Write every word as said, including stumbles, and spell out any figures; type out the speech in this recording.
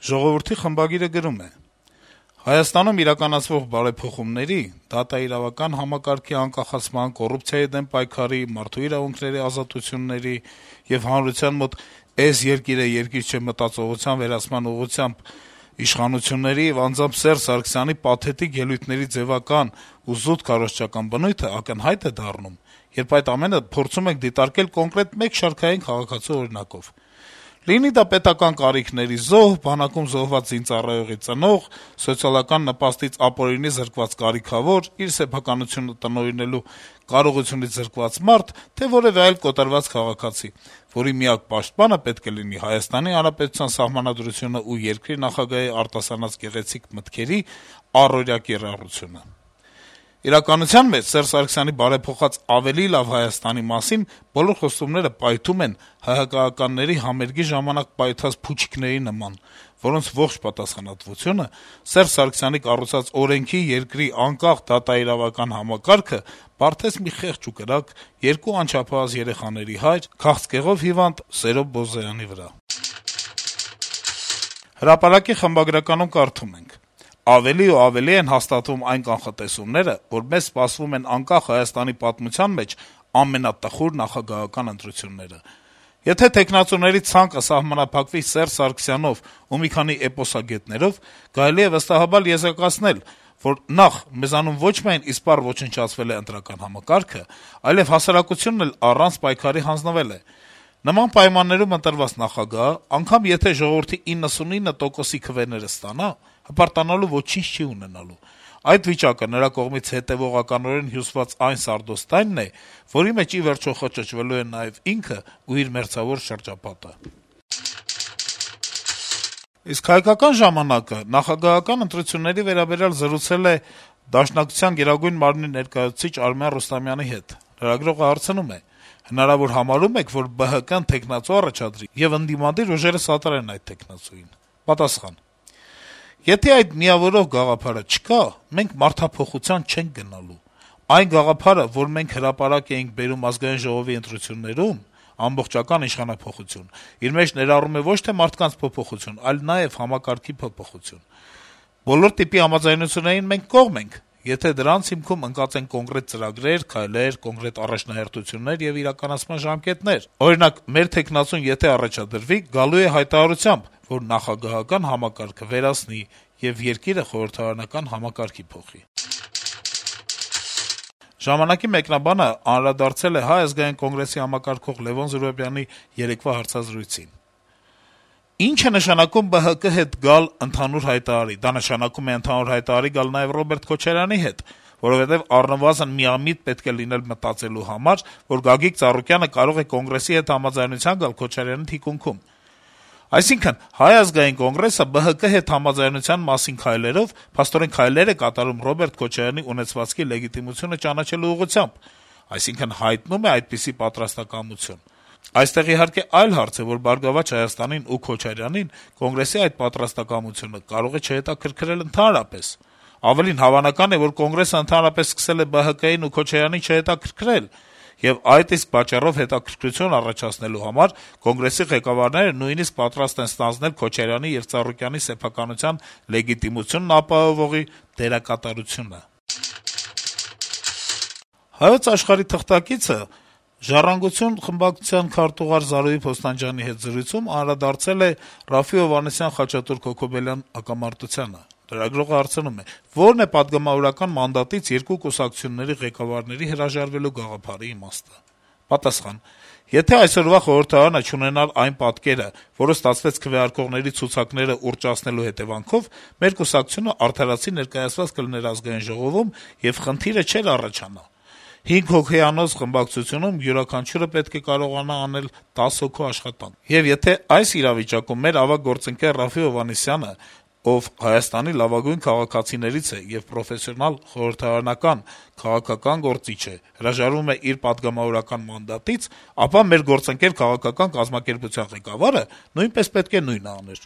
«Ժողովուրդ»-ի խմբագիրը գրում է. - «Հայաստանում իրականացվող բարեփոխումների, դատաիրավական համակարգի անկախացման, կոռուպցիայի դեմ պայքարի, մարդու իրավունքների ազատությունների եւ հանրության մոտ «էս երկիրը երկիր չէ» մտածողության վերացման ուղղությամբ իշխանությունների եւ անձամբ Սերժ Սարգսյանի պաթետիկ ելույթների ձեւական ու զուտ քարոզչական բնույթը ակնհայտ է դառնում, երբ այդ ամենը փորձում ենք դիտարկել կոնկրետ մեկ շարքային քաղաքացու օրինակով: Լինի դա պետական կարիքների զոհ, բանակում զոհված զինծառայողի ծնող, սոցիալական նպաստից ապօրինի զրկված կարիքավոր, իր սեփականությունը տնօրինելու կարողությունից զրկված մարդ, թե որեւէ այլ կոտրված քաղաքացի, որի միակ պաշտպանը պետք է լինի Հայաստանի Հանրապետության Սահմանադրությունը ու երկրի նախագահի արտասանած գեղեցիկ մտքերի առօրյա կիրառությունը: Իրականության մեջ Սերժ Սարգսյանի բարեփոխած «ավելի լավ Հայաստանի» մասին բոլոր խոստումները պայթում են ՀՀԿ-ականների համերգի ժամանակ պայթած փուչիկների նման, որոնց ողջ պատասխանատվությունը Սերժ Սարգսյանի կառուցած օրենքի, երկրի անկախ դատաիրավական համակարգը բարդեց մի խեղճ ու կրակ, երկու անչափահաս երեխաների հայր, քաղցկեղով հիվանդ Սերո Բոզայանի վրա»: «Հրապարակ»-ի խմբագրականում կարդում ենք. - «Ավելի ու ավելի են հաստատվում այն կանխատեսումները, որ մեզ սպասվում են անկախ Հայաստանի պատմության մեջ ամենատխուր նախագահական ընտրությունները: Եթե թեկնածուների ցանկը սահմանափակվի Սերժ Սարգսյանով ու մի քանի էպոսագետներով, կարելի է վստահաբար եզրակացնել, որ նախ՝ մեզանում ոչ միայն իսպառ ոչնչացվել է ընտրական համակարգը, այլեւ հասարակությունն էլ առանց պայքարի հանձնվել է: Նման պայմաններում ընտրված նախագահը, անգամ եթե ժողովրդի իննսունինը տոկոսի քվեները ստանա, հպարտանալու ոչինչ չի ունենալու: Այդ վիճակը նրա կողմից հետեւողականորեն հյուսված այն սարդոստայնն է, որի մեջ ի վերջո խճճվելու է նաեւ ինքը ու իր մերձավոր շրջապատը»: Իսկ «Հայկական ժամանակ»-ը նախագահական ընտրությունների վերաբերյալ զրուցել է Դաշնակցության Գերագույն մարմնի ներկայացուցիչ Արմեն Ռուստամյանի հետ: Լրագրողը հարցնում է. - «Հնարավոր համարո՞ւմ եք, որ ԲՀԿ-ն թեկնածու առաջադրի եւ ընդդիմադիր ուժերը սատարեն այդ թեկնածուին»: Պատասխան. - «Եթե այդ միավորող գաղափարը չկա, մենք մարդափոխության չենք գնալու: Այն գաղափարը, որ մենք հրապարակ էինք բերում Ազգային ժողովի ընտրություններում` ամբողջական իշխանափոխություն, իր մեջ ներառում է ոչ թե մարդկանց փոփոխություն, այլ նաեւ համակարգի փոփոխություն: Բոլոր տիպի համաձայնություններին մենք կողմ ենք, եթե դրանց հիմքում ընկած են կոնկրետ ծրագրեր, քայլեր, կոնկրետ առաջնահերթություններ եւ իրականացման ժամկետներ: Օրինակ, մեր թեկնածուն եթե առաջադրվի, գալու է հայտարարությամբ, որ նախագահական համակարգը վերացնի եւ երկիրը խորհրդարանական համակարգի փոխի»: «Ժամանակ»-ի մեկնաբանը անդրադարձել է Հայ ազգային կոնգրեսի համակարգող Լեւոն Զուրաբյանի երեկվա հարցազրույցին. - «Ի՞նչ է նշանակում ԲՀԿ հետ գալ ընդհանուր հայտարարի: Դա նշանակում է ընդհանուր հայտարարի գալ նաեւ Ռոբերտ Քոչարյանի հետ, որովհետեւ առնվազն միամիտ պետք է լինել մտածելու համար, որ Գագիկ Ծառուկյանը կարող է Կոնգրեսի հետ համաձայնության գալ Քոչարյանի թիկունքում: Այսինքն` Հայ ազգային կոնգրեսը ԲՀԿ հետ համաձայնության մասին քայլերով փաստորեն քայլեր է կատարում Ռոբերտ Քոչարյանի ունեցվածքի լեգիտիմությունը ճանաչելու ուղղությամբ, այսինքն` հայտնում է այդպիսի պատրաստակամություն: Այստեղ, իհարկե, այլ հարց է, որ «Բարգավաճ Հայաստանին» ու Քոչարյանին Կոնգրեսի այդ պատրաստակամությունը կարող է չհետաքրքրել ընդհանրապես: Ավելին, հավանական է, որ Կոնգրեսը ընդհանրապես սկսել է ԲՀԿ-ին ու Քոչարյանին չհետաքրքրել, եւ այդ իսկ պատճառով հետաքրքրություն առաջացնելու համար Կոնգրեսի ղեկավարները նույնիսկ պատրաստ են ստանձնել Քոչարյանի եւ Ծառուկյանի սեփականության լեգիտիմությունն ապահովողի դերակատարությունը»: «Հայոց Աշխարհ»-ի թղթակիցը «Ժառանգություն» խմբակցության քարտուղար Զարուհի Փոստանջյանի հետ զրույցում անդրադարձել է Րաֆֆի Հովհաննիսյան-Խաչատուր Քոքոբելյան հակամարտությանը: Լրագրողը հարցնում է. - «Ո՞րն է պատգամավորական մանդատից երկու կուսակցությունների ղեկավարների հրաժարվելու գաղափարի իմաստը»: Պատասխան. - «Եթե այսօրվա խորհրդարանը չունենար այն պատկերը, որը ստացվեց քվեարկողների ցուցակները ուռճացնելու հետեւանքով, մեր կուսակցությունը արդարացի ներկայացված կլիներ Ազգային ժողովում, եւ խնդիրը չէր առաջանա: Հինգ հոգեանոց խմբակցությունում յուրաքանչյուրը պետք է կարողանա անել տասը հոգու աշխատանք: Եվ եթե այս իրավիճակում մեր ավագ գործընկեր Րաֆֆի Հովհաննիսյանը, ով Հայաստանի լավագույն քաղաքացիներից է եւ պրոֆեսիոնալ խորհրդարանական, քաղաքական գործիչ է, հրաժարվում է իր պատգամավորական մանդատից, ապա մեր գործընկեր քաղաքական կազմակերպության ղեկավարը նույնպես պետք է նույնը աներ»: